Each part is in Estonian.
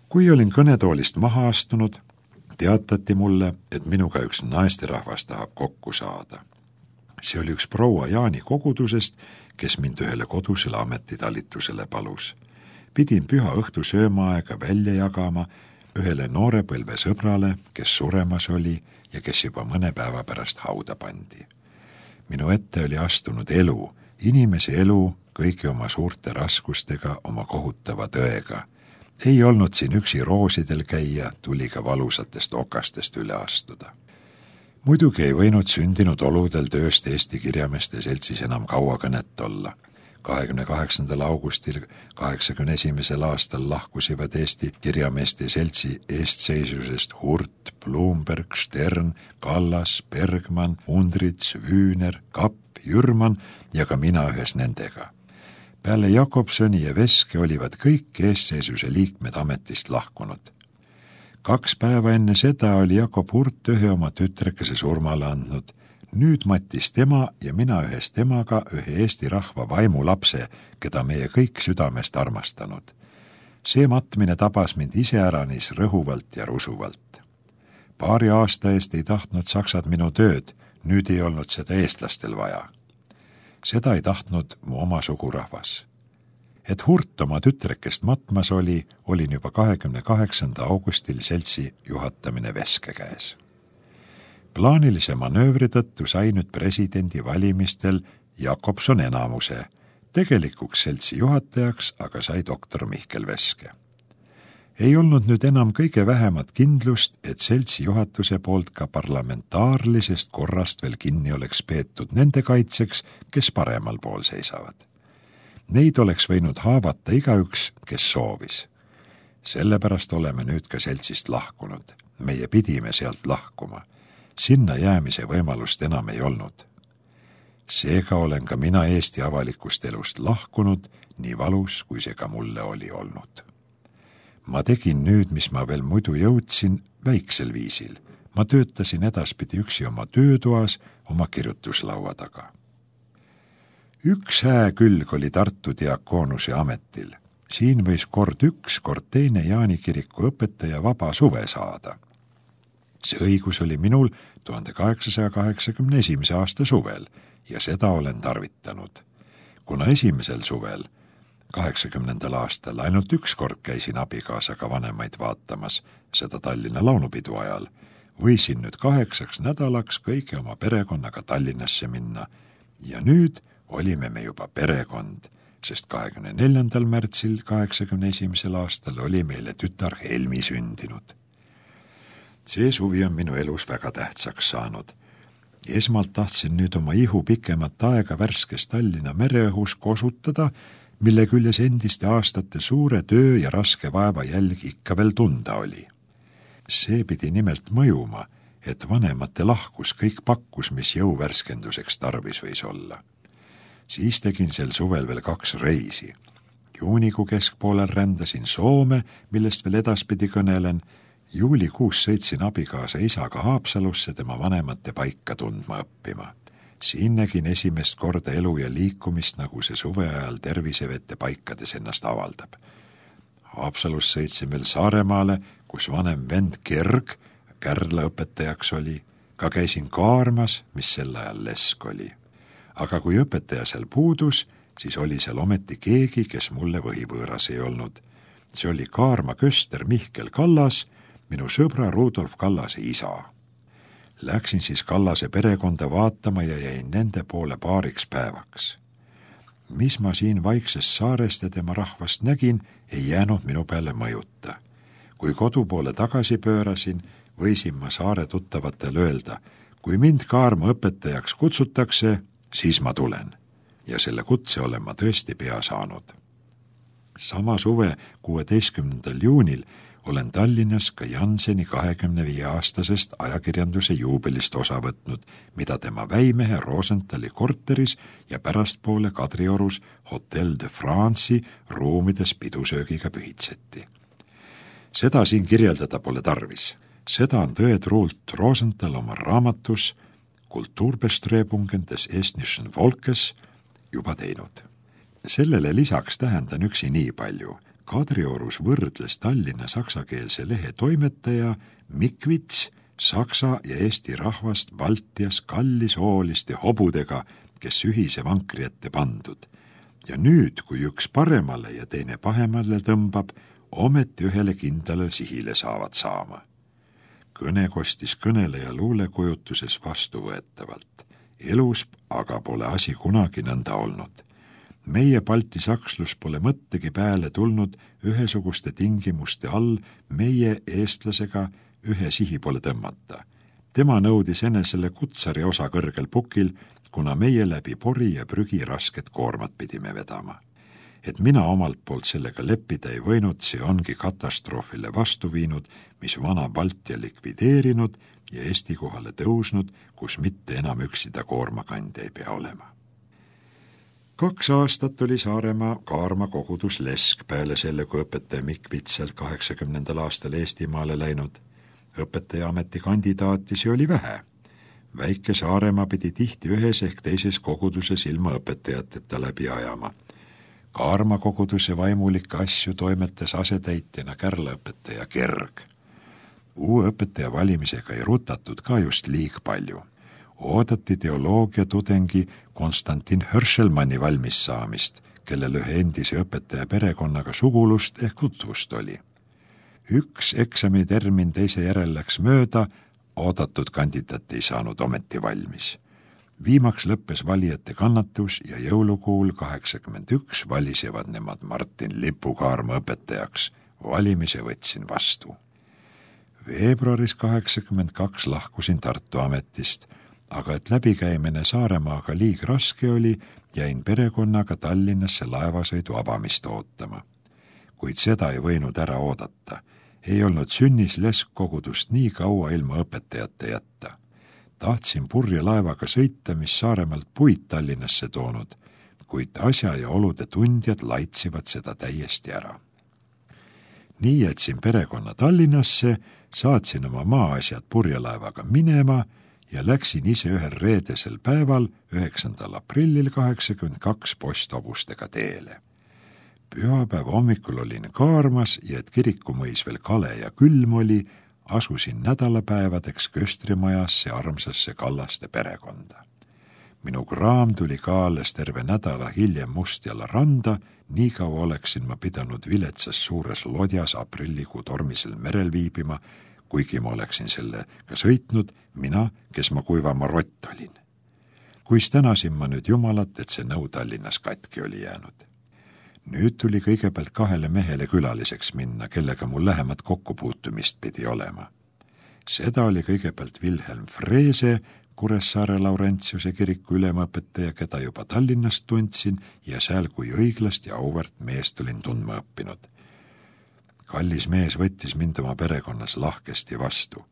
Kui olin kõnetoolist maha astunud, teatati mulle, et minuga üks naisterahvas tahab kokku saada. See oli üks proua Jaani kogudusest, kes mind ühele kodusele ametitalitusele palus. Pidin püha õhtu söömaaega välja jagama ühele noorepõlve sõbrale, kes suremas oli ja kes juba mõne päeva pärast hauda pandi. Minu ette oli astunud elu, inimese elu kõigi oma suurte raskustega, oma kohutava tõega. Ei olnud siin üksi roosidel käia, tuli ka valusatest okastest üle astuda. Muidugi ei võinud sündinud oludel tööst Eesti Kirjameeste Seltsis enam kaua kõnet olla. 28. augustil 81. aastal lahkusivad Eesti Kirjameeste Seltsi eestseisusest Hurt, Blumberg, Stern, Kallas, Bergman, Undrits, Wüüner, Kapp, Jürman ja ka mina ühes nendega. Peale Jakobsoni ja Veske olivad kõik eestseisuse liikmed ametist lahkunud. 2 päeva enne seda oli Jakob Hurt ühe oma tütrekese surmale andnud. Nüüd mattis tema ja mina ühes temaga ühe Eesti rahva vaimulapse, keda meie kõik südamest armastanud. See matmine tabas mind iseäranis rõhuvalt ja rusuvalt. 2 aasta eest ei tahtnud saksad minu tööd, nüüd ei olnud seda eestlastel vaja. Seda ei tahtnud mu oma sugurahvas. Et Hurt oma tütrekest matmas oli, olin juba 28. augustil seltsi juhatamine Veske käes. Plaanilise manöövri tõttu sai nüüd presidendi valimistel Jakobson enamuse. Tegelikuks seltsi juhatajaks aga sai doktor Mihkel Veske. Ei olnud nüüd enam kõige vähemat kindlust, et seltsi juhatuse poolt ka parlamentaarlisest korrast veel kinni oleks peetud nende kaitseks, kes paremal pool seisavad. Neid oleks võinud haavata igaüks, kes soovis. Sellepärast oleme nüüd ka seltsist lahkunud. Meie pidime sealt lahkuma. Sinna jäämise võimalust enam ei olnud. Seega olen ka mina Eesti avalikust elust lahkunud, nii valus, kui see ka mulle oli olnud. Ma tegin nüüd, mis ma veel muidu jõudsin, väiksel viisil. Ma töötasin edaspidi üksi oma töötoas, oma kirjutuslaua taga. Üks hääkülg oli Tartu diakoonuse ametil. Siin võis kord üks, kord teine Jaani kiriku õpetaja vaba suve saada. See õigus oli minul 1881. aasta suvel ja seda olen tarvitanud. Kuna esimesel suvel 80. aastal ainult üks kord käisin abikaasaga vanemaid vaatamas, seda Tallinna laulupidu ajal, võisin nüüd 8 nädalaks kõigi oma perekonnaga Tallinnasse minna ja nüüd olime me juba perekond, sest 24. märtsil 81. aastal oli meile tütar Helmi sündinud. See suvi on minu elus väga tähtsaks saanud. Esmalt tahtsin nüüd oma ihu pikemat aega värskes Tallinna mereõhus kosutada, mille küljes endiste aastate suure töö ja raske vaeva jälg ikka veel tunda oli. See pidi nimelt mõjuma, et vanemate lahkus kõik pakkus, mis jõuvärskenduseks tarvis võis olla. Siis tegin sel suvel veel 2 reisi. Juunikuu keskpoolel rändasin Soome, millest veel edaspidi kõnelen. Juulikuus sõitsin abikaasa isaga Haapsalusse tema vanemate paika tundma õppima. Siin nägin esimest korda elu ja liikumist, nagu see suve ajal tervisevete paikades ennast avaldab. Haapsalus sõitsin veel Saaremaale, kus vanem vend Kerg Kärla õpetajaks oli. Ka käisin Kaarmas, mis sel ajal lesk oli. Aga kui õpetaja seal puudus, siis oli seal ometi keegi, kes mulle võhivõõras ei olnud. See oli Kaarma köster Mihkel Kallas, minu sõbra Rudolf Kallase isa. Läksin siis Kallase perekonda vaatama ja jäin nende poole 2 päevaks. Mis ma siin vaiksest saarest ja tema rahvast nägin, ei jäänud minu peale mõjuta. Kui kodu poole tagasi pöörasin, võisin ma saare tuttavatel öelda, kui mind Kaarma õpetajaks kutsutakse, siis ma tulen. Ja selle kutse olen ma tõesti pea saanud. Sama suve 16. juunil olen Tallinnas ka Janseni 25-aastasest ajakirjanduse juubelist osa võtnud, mida tema väimehe Rosenthali korteris ja pärastpoole Kadriorus Hotel de France'i ruumides pidusöögiga pühitseti. Seda siin kirjeldada pole tarvis. Seda on tõetruult Rosenthal oma raamatus Kulturbestrebungen des estnischen Volkes juba teinud. Sellele lisaks tähendan üksi nii palju. Kadriorus võrdles Tallinna saksakeelse lehe toimetaja Mikvits saksa ja eesti rahvast Baltias kallisooliste hobudega, kes ühise vankri ette pandud. Ja nüüd, kui üks paremale ja teine pahemale tõmbab, ometi ühele kindlale sihile saavad saama. Kõne kostis kõneleja luulekujutuses vastuvõetavalt. Elus aga pole asi kunagi nõnda olnud. Meie Balti sakslus pole mõttegi pääle tulnud ühesuguste tingimuste all meie eestlasega ühe sihi pole tõmmata. Tema nõudis enesele kutsari osa kõrgel pukil, kuna meie läbi pori ja prügi rasket koormat pidime vedama. Et mina omalt poolt sellega leppida ei võinud, see ongi katastroofile vastu viinud, mis vana Baltia likvideerinud ja Eesti kohale tõusnud, kus mitte enam üksida koormakandja ei pea olema. 2 aastat oli Saaremaa Kaarma kogudus lesk peale selle, kui õpetaja Mikvitselt 80. aastal Eestimaale läinud. Õpetaja ametikandidaatisi oli vähe. Väike Saaremaa pidi tihti ühes ehk teises koguduses ilma õpetajateta läbi ajama. Kaarma koguduse vaimulikke asju toimetas asetäitjana kärlaõpetaja Kerg. Uue õpetaja valimisega ei rutatud ka just liig palju. Oodati teoloogia tudengi Konstantin Hörselmanni valmis saamist, kellel ühe endise õpetaja perekonnaga sugulust ehk tutvust oli. Üks eksamitermin teise järel läks mööda, oodatud kandidaat ei saanud ometi valmis. Viimaks lõppes valijate kannatus ja jõulukuul 81 valisevad nemad Martin Lipukaarma õpetajaks. Valimise võtsin vastu. Veebruaris 82 lahkusin Tartu ametist, aga et läbikäimine Saaremaaga liig raske oli, jäin perekonnaga Tallinnasse laevasõidu avamist ootama. Kuid seda ei võinud ära oodata. Ei olnud sünnis leskkogudust nii kaua ilma õpetajate jätta. Tahtsin purje laevaga sõita, mis Saaremaalt puid Tallinnasse toonud, kuid asja ja olude tundjad laitsivad seda täiesti ära. Nii jätsin perekonna Tallinnasse, saatsin oma maaasjad purjelaevaga minema ja läksin ise ühel reedesel päeval 9. aprillil 82 posthobustega teele. Pühapäeva hommikul olin Kaarmas ja et kirikumõis veel kale ja külm oli, asusin nädalapäevadeks Köstrimajasse armsasse Kallaste perekonda. Minu kraam tuli ka alles terve nädala hiljem Mustjala randa, nii kaua oleksin ma pidanud viletsas suures lodjas aprillikuu tormisel merel viibima, kuigi ma oleksin sellega sõitnud, mina, kes ma kuivama rott olin. Kuis tänasin ma nüüd Jumalat, et see nõu Tallinnas katki oli jäänud. Nüüd tuli kõigepealt 2 mehele külaliseks minna, kellega mul lähemat kokkupuutumist pidi olema. Seda oli kõigepealt Wilhelm Freese, Kuressaare Laurentiuse kiriku ülemõpetaja, keda juba Tallinnast tundsin ja seal kui õiglast ja auväärt meest olin tundma õppinud. Kallis mees võttis mind oma perekonnas lahkesti vastu.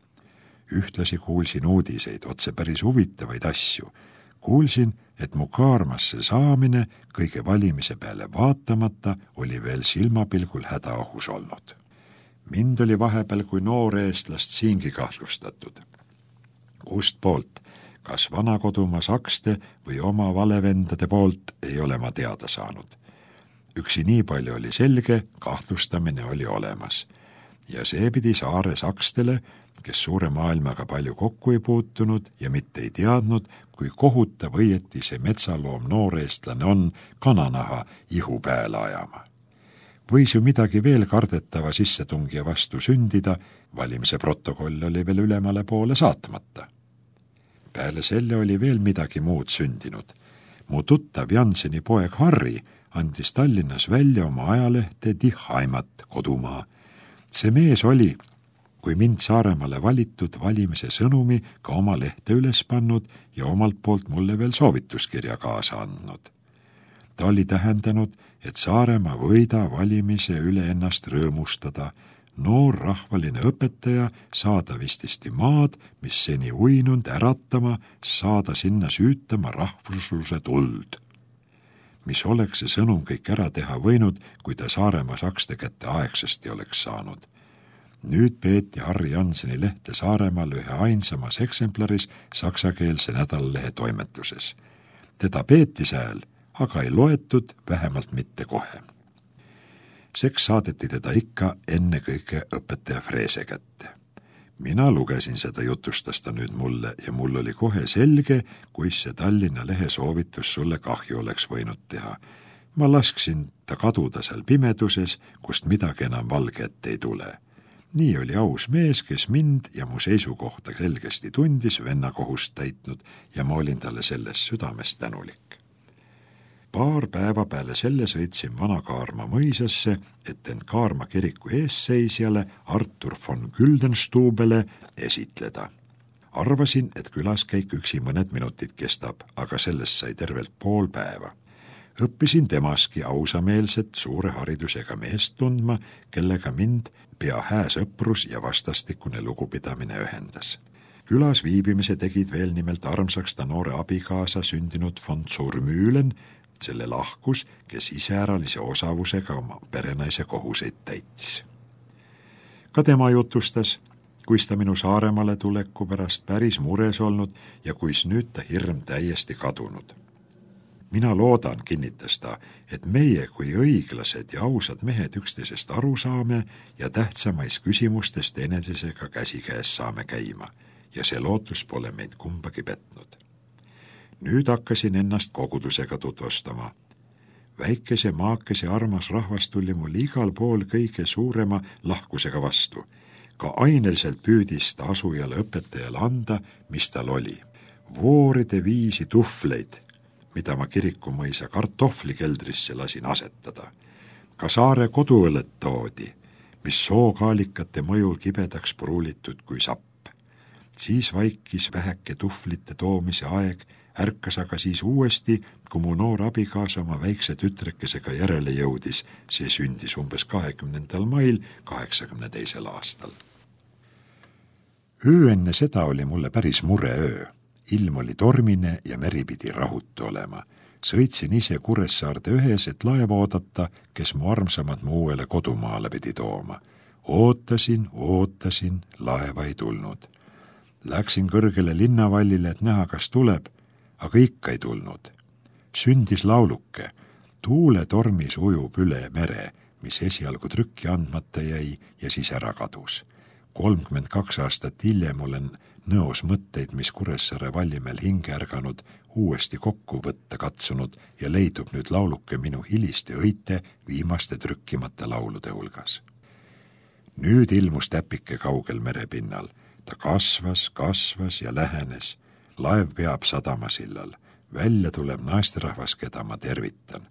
Ühtlasi kuulsin uudiseid, otse päris huvitavaid asju. Kuulsin, et mu Kaarmasse saamine kõige valimise peale vaatamata oli veel silmapilgul hädaohus olnud. Mind oli vahepeal kui noor eestlast siingi kahtlustatud. Kust poolt, kas vana kodumaa sakste või oma valevendade poolt, ei ole ma teada saanud. Üksi nii palju oli selge, kahtlustamine oli olemas. Ja see pidi saare sakstele, kes suure maailmaga palju kokku ei puutunud ja mitte ei teadnud, kui kohutav õieti see metsaloom nooreestlane on kananaha ihu pääle ajama. Võis ju midagi veel kardetava sissetungija vastu sündida, valimise protokoll oli veel ülemale poole saatmata. Peale selle oli veel midagi muud sündinud. Mu tuttav Janseni poeg Harri andis Tallinnas välja oma ajalehte Die Heimat, kodumaa. See mees oli, kui mind Saaremaale valitud valimise sõnumi ka oma lehte üles pannud ja omalt poolt mulle veel soovituskirja kaasa andnud. Ta oli tähendanud, et Saaremaa võida valimise üle ennast rõõmustada, noor rahvaline õpetaja saada vististi maad, mis seni uinunud äratama, saada sinna süütama rahvusluse tuld. Mis oleks see sõnum kõik ära teha võinud, kui ta Saaremaa sakste kätte aegsasti oleks saanud. Nüüd peeti Harri Janseni lehte Saaremaal ühe ainsamas eksemplaris saksakeelse nädalalehe toimetuses. Teda peeti sääl, aga ei loetud, vähemalt mitte kohe. Seks saadeti teda ikka enne kõige õpetaja Freese kätte. Mina lugesin seda, jutustas ta nüüd mulle ja mul oli kohe selge, kuis see Tallinna Lehe soovitus sulle kahju oleks võinud teha. Ma lasksin ta kaduda seal pimeduses, kust midagi enam valge ette ei tule. Nii oli aus mees, kes mind ja mu seisukohta selgesti tundis, venna kohust täitnud ja ma olin talle selles südames tänulik. Paar päeva peale selle sõitsin Vana-Kaarma mõisasse, et end Kaarma kiriku eesseisjale Artur von Güldenstubele esitleda. Arvasin, et külaskäik üksi mõned minutid kestab, aga sellest sai tervelt pool päeva. Õppisin temaski ausameelset suure haridusega meest tundma, kellega mind pea hää sõprus ja vastastikune lugupidamine ühendas. Külas viibimise tegid veel nimelt armsaks ta noore abikaasa sündinud von Zurmühlen, selle lahkus, kes iseäralise osavusega oma perenaise kohuseid täitis. Ka tema jutustas, kuis ta minu Saaremaale tuleku pärast päris mures olnud ja kuis nüüd ta hirm täiesti kadunud. Mina loodan, kinnitas ta, et meie kui õiglased ja ausad mehed üksteisest aru saame ja tähtsamais küsimustes teineteisega käsikäes saame käima ja see lootus pole meid kumbagi petnud. Nüüd hakkasin ennast kogudusega tutvustama. Väikese maakese armas rahvas tuli mul igal pool kõige suurema lahkusega vastu. Ka aineliselt püüdis ta asujale õpetajale anda, mis tal oli. Vooride viisi tuhvleid, mida ma kirikumõisa kartohvlikeldrisse lasin asetada. Ka Saare koduõlet toodi, mis sookaalikate mõjul kibedaks pruulitud kui sapp. Siis vaikis väheke tuhvlite toomise aeg, ärkas aga siis uuesti, kui mu noor abikaasa oma väikse tütrekesega järele jõudis. See sündis umbes 20. mail 82. aastal. Öö enne seda oli mulle päris mureöö. Ilm oli tormine ja meri pidi rahutu olema. Sõitsin ise Kuressaarde ühes, et laeva oodata, kes mu armsamad mu uuele kodumaale pidi tooma. Ootasin, laeva ei tulnud. Läksin kõrgele linnavallile, et näha, kas tuleb, aga ikka ei tulnud. Sündis lauluke. Tuuletormis ujub üle mere, mis esialgu trükki andmata jäi ja siis ära kadus. 32 aastat hiljem olen nõos mõtteid, mis Kuressaare vallimel hinge ärganud, uuesti kokku võtta katsunud ja leidub nüüd lauluke minu hiliste õite viimaste trükkimata laulude hulgas. Nüüd ilmus täpike kaugel merepinnal. Ta kasvas ja lähenes. Laev peab sadamasillal. Välja tuleb naisterahvas, keda ma tervitan.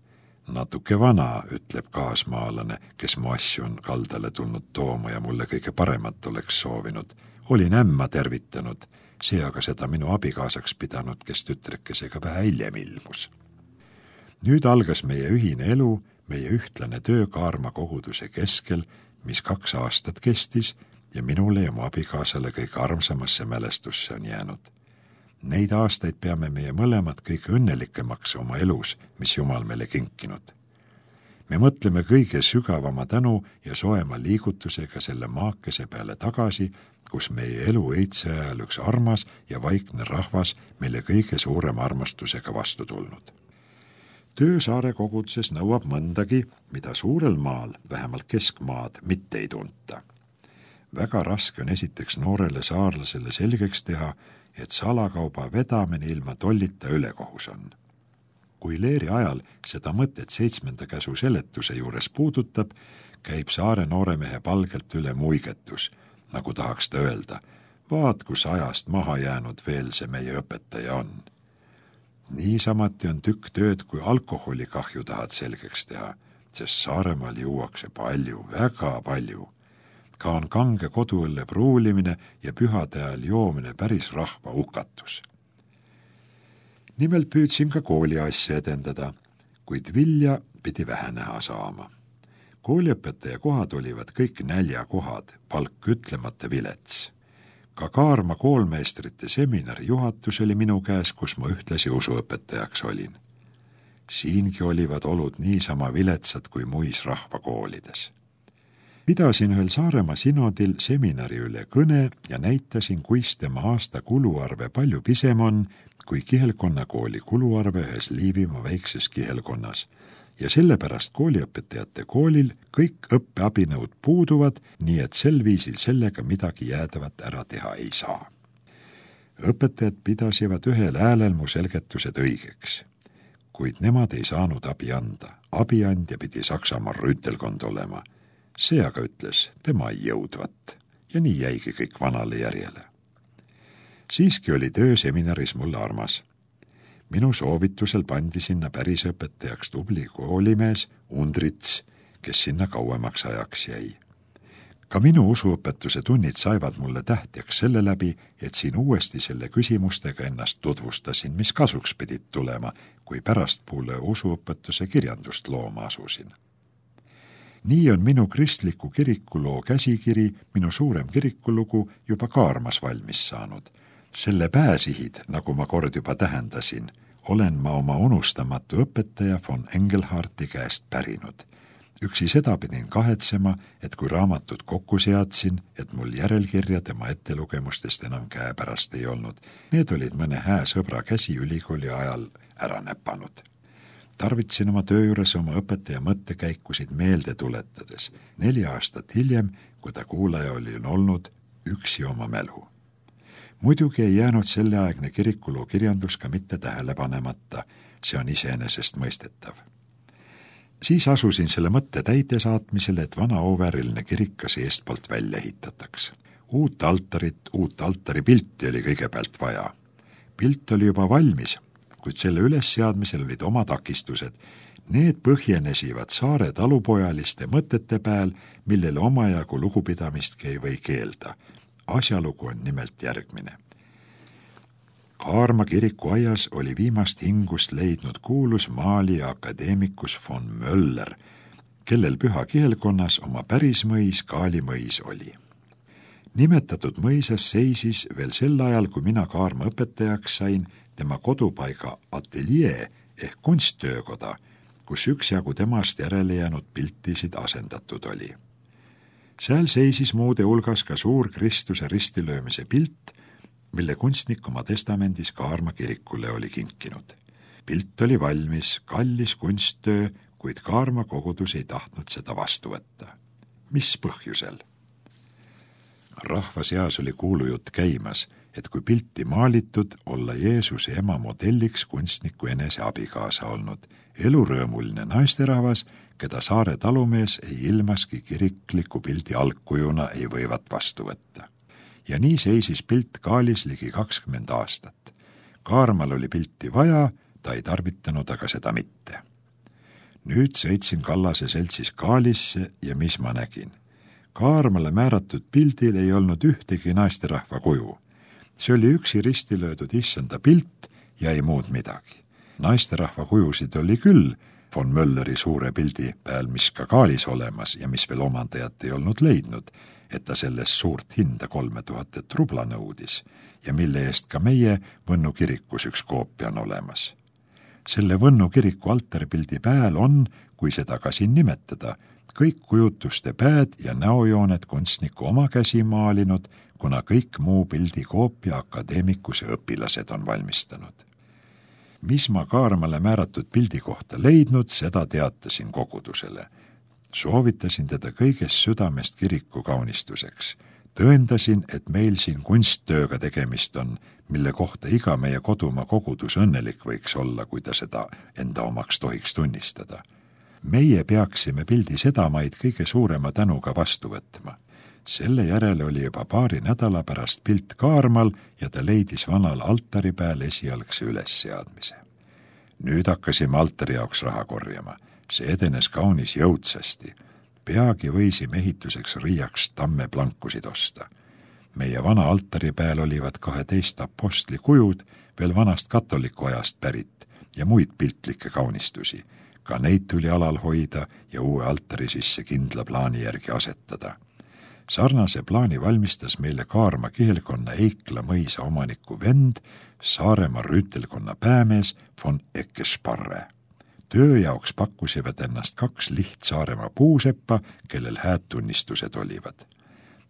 Natuke vana, ütleb kaasmaalane, kes mu asju on kaldale tulnud tooma ja mulle kõige paremat oleks soovinud. Olin ämma tervitanud, see aga seda minu abikaasaks pidanud, kes tütrekesega vähe hiljem ilmus. Nüüd algas meie ühine elu, meie ühtlane töö Kaarma koguduse keskel, mis 2 aastat kestis ja minule ja mu abikaasale kõige armsamasse mälestusse on jäänud. Neid aastaid peame meie mõlemad kõige õnnelikemaks oma elus, mis Jumal meile kinkinud. Me mõtleme kõige sügavama tänu ja soema liigutusega selle maakese peale tagasi, kus meie elu eitse ajal üks armas ja vaikne rahvas meile kõige suurema armastusega vastu tulnud. Töö Saare koguduses nõuab mõndagi, mida suurel maal, vähemalt keskmaad, mitte ei tunta. Väga raske on esiteks noorele saarlasele selgeks teha, et salakauba vedamine ilma tollita ülekohus on. Kui Leeri ajal seda mõtet 7. käsu seletuse juures puudutab, käib Saare nooremehe palgelt üle muigetus, nagu tahaks ta öelda, vaat kus ajast maha jäänud veel see meie õpetaja on. Niisamati on tükk tööd, kui alkoholikahju tahad selgeks teha, sest Saaremaal juuakse palju, väga palju. Ka on kange koduõlle pruulimine ja pühade ajal joomine päris rahva hukatus. Nimelt püüdsin ka kooli asja edendada, kuid vilja pidi vähe näha saama. Kooliõpetaja kohad olivad kõik näljakohad, palk ütlemata vilets. Ka Kaarma koolmeistrite seminari juhatus oli minu käes, kus ma ühtlasi usuõpetajaks olin. Siingi olivad olud niisama viletsad kui muis rahvakoolides. Pidasin ühel Saaremaa sinodil seminari üle kõne ja näitasin, kuis tema aasta kuluarve palju pisem on kui Kihelkonna kooli kuluarve ühes Liivimaa väikses Kihelkonnas ja sellepärast kooliõpetajate koolil kõik õppeabinõud puuduvad, nii et sel viisil sellega midagi jäädavat ära teha ei saa. Õpetajad pidasivad ühel häälel mu selgetused õigeks, kuid nemad ei saanud abi anda. Abiandja pidi Saksamaal rüütelkond olema. See aga ütles, tema ei jõudvat ja nii jäigi kõik vanale järjele. Siiski oli töö seminaris mulle armas. Minu soovitusel pandi sinna pärisõpetajaks tubli koolimees Undrits, kes sinna kauemaks ajaks jäi. Ka minu usuõpetuse tunnid saivad mulle tähtjaks selle läbi, et siin uuesti selle küsimustega ennast tutvustasin, mis kasuks pidid tulema, kui pärastpuule usuõpetuse kirjandust looma asusin. Nii on minu kristliku kirikuloo käsikiri, minu suurem kirikulugu, juba Kaarmas valmis saanud. Selle pääsihid, nagu ma kord juba tähendasin, olen ma oma unustamatu õpetaja von Engelharti käest pärinud. Üksi seda pidin kahetsema, et kui raamatut kokku seadsin, et mul järelkirja tema ettelugemustest enam käepärast ei olnud. Need olid mõne hää sõbra käsi ülikooli ajal ära näpanud. Tarvitsin oma töö juures oma õpetaja mõttekäikusid meelde tuletades. 4 aastat hiljem, kui ta kuulaja oli olnud, üksi oma mälu. Muidugi ei jäänud selleaegne kirikuloo kirjandus ka mitte tähele panemata, see on iseenesest mõistetav. Siis asusin selle mõtte täite saatmisele, et vana oovääriline kirik kas eestpoolt välja ehitataks. Uut altaripilti oli kõigepealt vaja. Pilt oli juba valmis, kuid selle ülesseadmisel olid oma takistused. Need põhjenesivad saare talupojaliste mõtete peal, millele omajagu lugupidamistki ei või keelda. Asjalugu on nimelt järgmine. Kaarma kiriku aias oli viimast hingust leidnud kuulus maalija akadeemikus von Möller, kellel püha kihelkonnas oma päris mõis Kaali mõis oli. Nimetatud mõisas seisis veel sel ajal, kui mina Kaarma õpetajaks sain, tema kodupaiga ateljee ehk kunsttöökoda, kus üksjagu temast järele jäänud piltisid asendatud oli. Seal seisis muude hulgas ka suur Kristuse ristilöömise pilt, mille kunstnik oma testamendis Kaarma kirikule oli kinkinud. Pilt oli valmis, kallis kunsttöö, kuid Kaarma kogudus ei tahtnud seda vastu võtta. Mis põhjusel? Rahva seas oli kuulujutt käimas, et kui pilti maalitud, olla Jeesuse ema modelliks kunstniku enese abikaasa olnud, elurõõmuline naisterahvas, keda saare talumees ei ilmaski kirikliku pildi algkujuna ei võivat vastu võtta. Ja nii seisis pilt Kaalis ligi 20 aastat. Kaarmal oli pilti vaja, ta ei tarvitanud aga seda mitte. Nüüd sõitsin Kallase seltsis Kaalisse ja mis ma nägin? Kaarmale määratud pildil ei olnud ühtegi naisterahva kuju. See oli üksi risti löödud issanda pilt ja ei muud midagi. Naisterahva kujusid oli küll von Mölleri suure pildi peal, mis ka Kaalis olemas ja mis veel omandajat ei olnud leidnud, et ta sellest suurt hinda 3000 rubla nõudis ja mille eest ka meie Võnnu kirikus üks koopia on olemas. Selle Võnnu kiriku altaripildi pääl on, kui seda ka siin nimetada, kõik kujutuste pääd ja näojooned kunstniku oma käsi maalinud, kuna kõik muu pildi koopia akadeemikuse õpilased on valmistanud. Mis ma Kaarmale määratud pildi kohta leidnud, seda teatasin kogudusele. Soovitasin teda kõigest südamest kiriku kaunistuseks. Tõendasin, et meil siin kunsttööga tegemist on, mille kohta iga meie kodumaa kogudus õnnelik võiks olla, kui ta seda enda omaks tohiks tunnistada. Meie peaksime pildi sedamaid kõige suurema tänuga vastu võtma. Selle järele oli juba paari nädala pärast pilt Kaarmal ja ta leidis vanal altari peal esialgse ülesseadmise. Nüüd hakkasime altari jaoks raha korjama. See edenes kaunis jõudsasti. Peagi võisime ehituseks riiaks tammeplankusid osta. Meie vana altari peal olivad 12 apostli kujud, veel vanast katoliku ajast pärit ja muid piltlikke kaunistusi. Ka neid tuli alal hoida ja uue altari sisse kindla plaani järgi asetada. Sarnase plaani valmistas meile Kaarma kihelkonna Eikla mõisa omaniku vend, Saaremaa rüütelkonna päämees von Ekkesparre. Töö jaoks pakkusivad ennast 2 Saaremaa puuseppa, kellel hääd tunnistused olivad.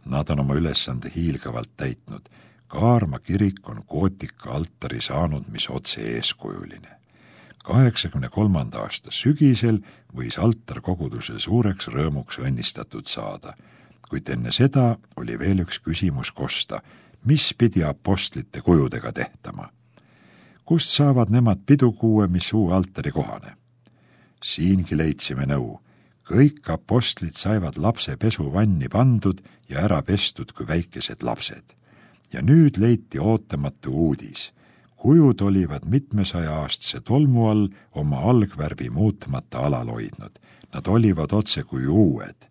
Nad on oma ülesande hiilgavalt täitnud. Kaarma kirik on gootika altari saanud, mis otse eeskujuline. 83. aasta sügisel võis altar koguduse suureks rõõmuks õnnistatud saada, kuid enne seda oli veel üks küsimus kosta, mis pidi apostlite kujudega tehtama. Kust saavad nemad pidukuue, mis uue altari kohane? Siingi leidsime nõu. Kõik apostlid saivad lapse pesuvanni pandud ja ära pestud kui väikesed lapsed. Ja nüüd leiti ootamatu uudis. Kujud olivad 700-aastase tolmu all oma algvärvi muutmata alal hoidnud. Nad olivad otse kui uued.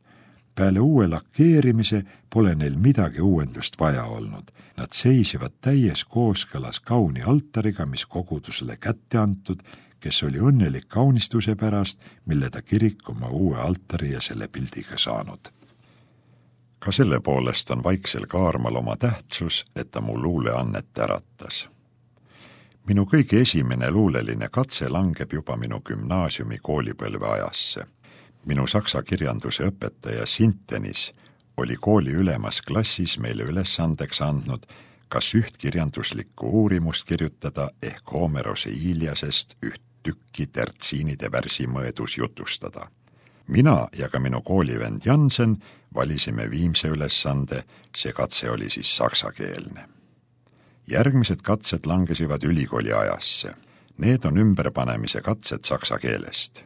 Peale uue lakkeerimise pole neil midagi uuendust vaja olnud. Nad seisivad täies kooskõlas kauni altariga, mis kogudusele kätte antud, kes oli õnnelik kaunistuse pärast, mille ta kirik oma uue altari ja selle pildiga saanud. Ka selle poolest on vaiksel kaarmal oma tähtsus, et ta mu luuleannet äratas. Minu kõige esimene luuleline katse langeb juba minu gümnaasiumi koolipõlve ajasse. Minu saksa kirjanduse õpetaja Sintenis oli kooli ülemas klassis meile ülesandeks andnud kas üht kirjanduslikku uurimust kirjutada ehk Homerose Iliasest üht tükki tertsiinide värsimõõdus jutustada. Mina ja ka minu koolivend Jansen valisime viimse ülesande, see katse oli siis saksakeelne. Järgmised katsed langesivad ülikooli ajasse. Need on ümberpanemise katsed saksa keelest.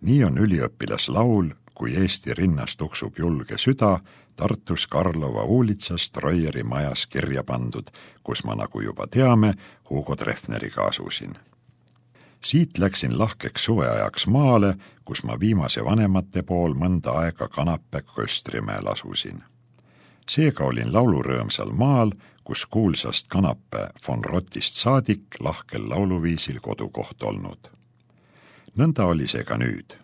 Nii on üliõpilaslaul, kui Eesti rinnas tuksub julge süda, Tartus Karlova uulitsas Troieri majas kirja pandud, kus ma, nagu juba teame, Hugo Treffneriga asusin. Siit läksin lahkeks suveajaks maale, kus ma viimase vanemate pool mõnda aega Kanapä Köstrimäel asusin. Seega olin laulurõõmsal maal, kus kuulsast Kanapä von Rottist saadik lahkel lauluviisil kodukoht olnud. Nõnda oli see ka nüüd.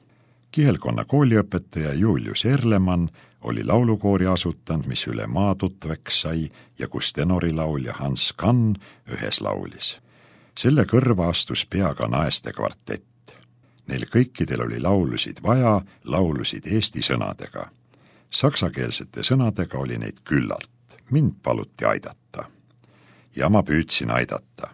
Kihelkonna kooliõpetaja Julius Erlemann oli laulukoori asutanud, mis üle maa tutveks sai ja kus tenorilaulja Hans Kann ühes laulis. Selle kõrva astus peaga naeste kvartett. Neil kõikidel oli laulusid vaja, laulusid eesti sõnadega. Saksakeelsete sõnadega oli neid küllalt. Mind paluti aidata. Ja ma püüdsin aidata.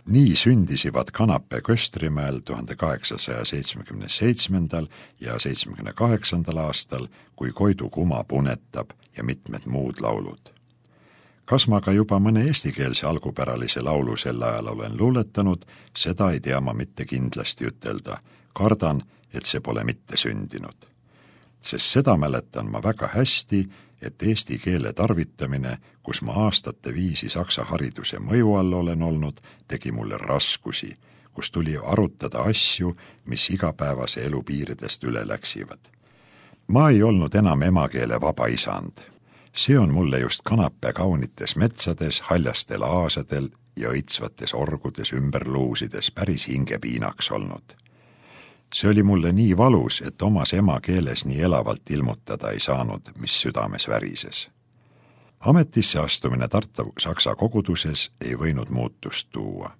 Nii sündisivad Kanapä Köstrimäel 1877. ja 78. aastal, kui Koidu kuma punetab ja mitmed muud laulud. Kas ma ka juba mõne eestikeelse algupäralise laulu sel ajal olen luuletanud, seda ei tea ma mitte kindlasti ütelda. Kardan, et see pole mitte sündinud. Sest seda mäletan ma väga hästi, et eesti keele tarvitamine, kus ma aastate viisi saksa hariduse mõju all olen olnud, tegi mulle raskusi, kus tuli arutada asju, mis igapäevase elu piiridest üle läksivad. Ma ei olnud enam emakeele vaba isand. See on mulle just Kanapä kaunites metsades, haljastel aasadel ja õitsvates orgudes ümberluusides päris hingepiinaks olnud. See oli mulle nii valus, et omas emakeeles nii elavalt ilmutada ei saanud, mis südames värises. Ametisse astumine Tartu saksa koguduses ei võinud muutust tuua.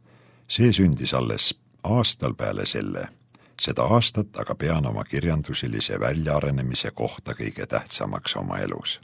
See sündis alles aastal peale selle. Seda aastat aga pean oma kirjandusilise väljaarenemise kohta kõige tähtsamaks oma elus.